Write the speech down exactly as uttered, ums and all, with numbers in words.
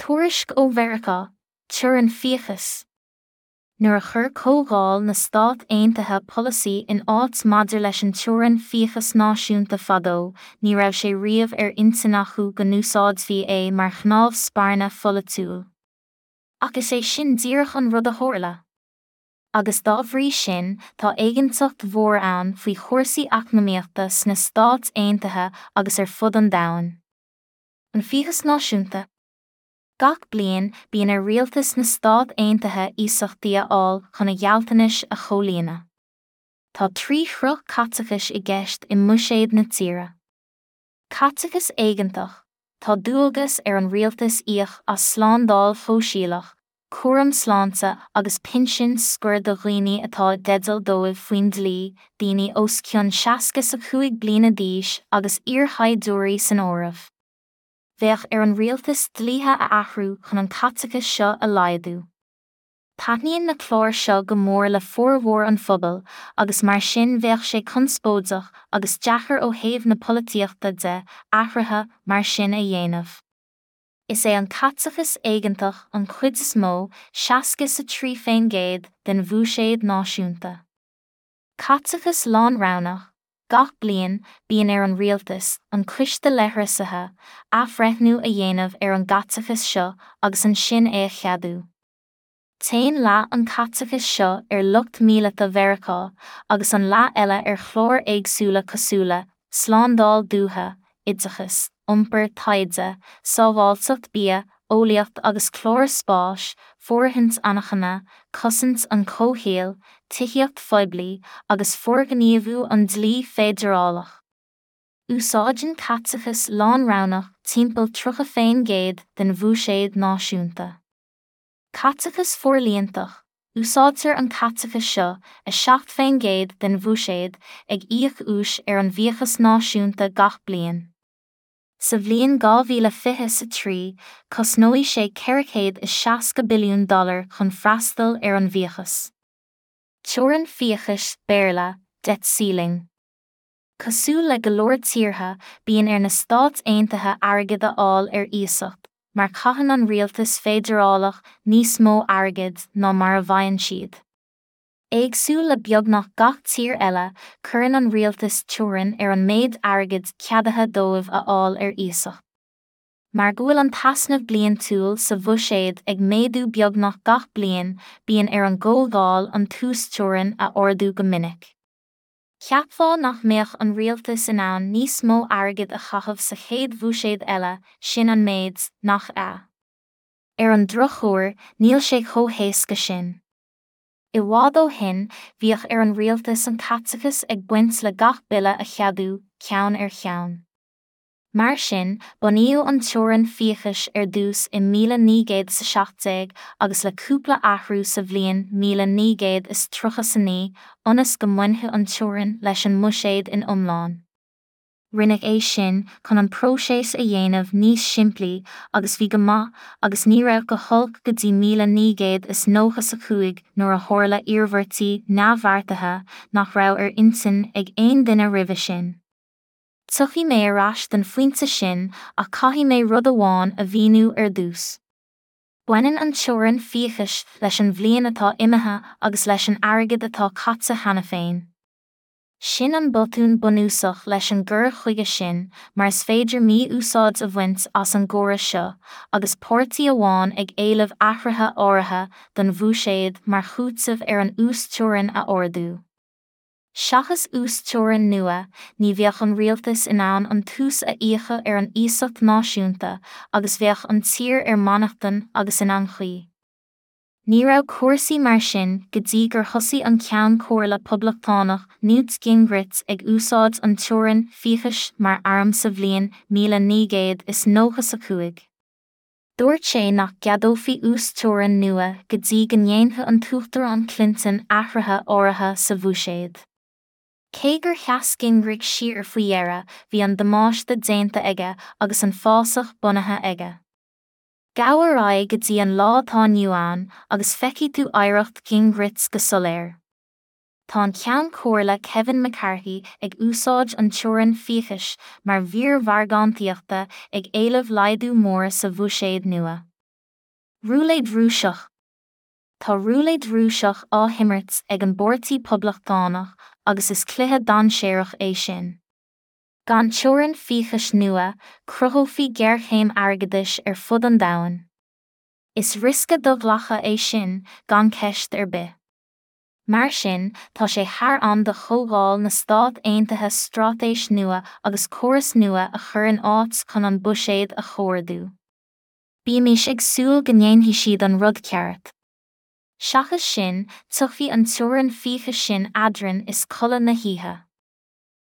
Tuairisc ó Mheiriceá, Teorainn Fiachais. Nuair a chuir Comhdháil na Stát Aontaithe polasaí in áit maidir leis an teorainn fiachais náisiúnta fadó, ní raibh sé riamh ar intinn acu go n-úsáidfí é mar chnámh spairne pholaitiúil. Ach is é sin díreach an rud a tharla. Agus dá bhrí sin, tá éiginnteacht mhór ann faoi chúrsaí eacnamaíochta sna Stáit Aontaithe agus ar fud an domhain. An fiachas náisiúnta. Gach bliain bíonn ar rialtas na Stát Aontaithe iasachtaí a fháil chun a ghealltanais a chomhlíonadh. Tá trí shruth caiteachais i gceist i mbuiséad na tíre. Caiteachas éigeantach, tá dualgas ar an rialtas íoc as slándáil shóisialach, cúram sláinte agus pinsin scoir do dhaoine atá i dteideal dóibh faoin dlí, daoine os cionn seasca is a cúig bliana d'aois agus iarshaighdiúirí san áireamh. Bheadh ar an rialtas dlíthe a athrú chun an caiteachas seo a laghdú. Taitníonn na cláir seo go mór le formhór an phobail agus mar sin bheadh sé conspóideach agus deacair ó thaobh na polaitíochta de athruithe mar sin a dhéanamh. Is é an caiteachas éigeantach an chuid is mó, seasca is a trí faoin gcéad, den bhuiséad náisiúnta. Caiteachas lánroghnach, Gach bliain, bíonn ar an rialtas, an Coiste Leithreasaithe, athbhreithniú a dhéanamh ar an gcaiteachas seo agus ansin é a cheadú. Téann leath an chaiteachais seo ar lucht míleata Mheiriceá agus an leath eile ar chláir éagsúla cosúil le slándáil dúiche, oideachas, iompar, taighde, sábháilteacht bia, eolaíocht agus cláir spáis, fóirithint anachana, cosaint an chomhshaoil, tithíocht phoiblí agus forghníomhú an dlí feidearálach. Úsáideann caiteachas lánroghnach timpeall tríocha faoin gcéad den bhuiséad náisiúnta. Caiteachas forlíontach, úsáidtear an caiteachas seo, a seacht faoin gcéad den bhuiséad, ag íoc úis ar an bhfiachas náisiúnta gach bliain. Sa bhliain dhá mhíle fiche a trí, cosnóidh sé ceithre chéad is seasca billiún dollar chun freastal ar an bhfiachas. Teorainn fiachais, Béarla, debt ceiling. Cosúil le go leor tíortha, bíonn ar na Stáit Aontaithe airgead a fháil ar iasacht, mar caitheann an rialtas feidearálach níos mó airgid ná mar a bhfaigheann siad. Éagsúil le beagnach gach tír eile, cuireann an rialtas teorainn ar an méid airgid ceadaithe dóibh a fháil ar iasacht. Mar go bhfuil an t-easnamh bliantúil sa bhuiséad ag méadú beagnach gach bliain, bíonn ar an gComhdháil an t-uasteorainn a ardú go minic. Cheapfá nach mbeadh an rialtas in ann níos mó airgid a chaitheamh sa chéad bhuiséad eile, sin an méid, nach ea? Ar an drochuair, níl sé chomh héasca sin. I bhfad ó shin, bhíodh ar an rialtas an caiteachas ag baint le gach bille a cheadú, ceann ar cheann. Mar sin, bunaíodh an teorainn fiachais ar dtús i míle naoi gcéad is a seacht déag agus le cúpla athrú sa bhliain míle naoi gcéad is tríocha is a naoi, ionas go mbainfeadh an teorainn leis an mbuiséad in iomlán. Rinneadh é sin chun an próiseas a dhéanamh níos simplí agus bhí go maith agus ní raibh go holc go dtí míle naoi gcéad is nócha a cúig nuair a tharla iarmhairtí neamhbheartaithe nach raibh ar intinn ag aon duine roimhe sin. Tiocfaidh mé ar ais don phointe sin ach caithfidh mé rud amháin a mhíniú ar dtús. Baineann an teorainn fiachais leis an bhliain atá imithe agus leis an airgead atá caite cheana féin. Sin an botún bunúsach leis an gcur chuige sin mar is féidir mí-úsáid a bhaint as an gcóras seo, agus páirtí amháin ag éileamh athruithe áirithe don bhuiséad mar chúiteamh ar an uasteorainn a ardú. Seachas uasteorainn nua, ní bheadh an rialtas in ann an t-ús a íocadh ar an iasacht náisiúnta agus bheadh an tír ar mainneachtain agus in anchaoi. Ní raibh cúrsaí mar sin go dtí gur thosaigh an Ceann Comhairle Poblachtánach Newt Gingrich ag úsáid an teorainn fiachais mar arm sa bhliain míle naoi gcéad is nócha a cúig. Dúirt sé nach gceadófaí uasteorainn nua go dtí go ndéanfadh an tUachtarán Clinton athruithe áirithe sa bhuiséad. Cé gur sheas Gingrich siar faoi dheireadh, bhí an damáiste déanta aige agus an fásach bunaithe aige. Gabh ar aghaidh go dtí an lá atá inniu ann agus feicfidh tú oidhreacht Gingrich go soiléir. Tá an Ceann Comhairle Kevin McCarthy ag úsáid an teorainn fiachais mar mhír mhargántaíochta ag éileamh laghdú mór sa bhuiséad nua. Rúiléad Rúiseach Tá rúiléad Rúiseach á himirt ag an bPáirtí Poblachtánach agus is cluiche dainséarach é sin. Gan teorainn fiachais nua, cruthófaí géarchéim airgeadais ar fud an domhain. Is riosca do-ghlactha é sin, gan ceist ar bith. Mar sin, tá sé thar am do Chomhdháil na Stát Aontaithe straitéis nua agus córas nua a chur in áit chun an buiséad a chomhordú. Bímis ag súil go ndéanfaidh siad an rud ceart. Seachas sin, tiocfaidh an teorainn fiachais sin eadrainn is codladh na hoíche.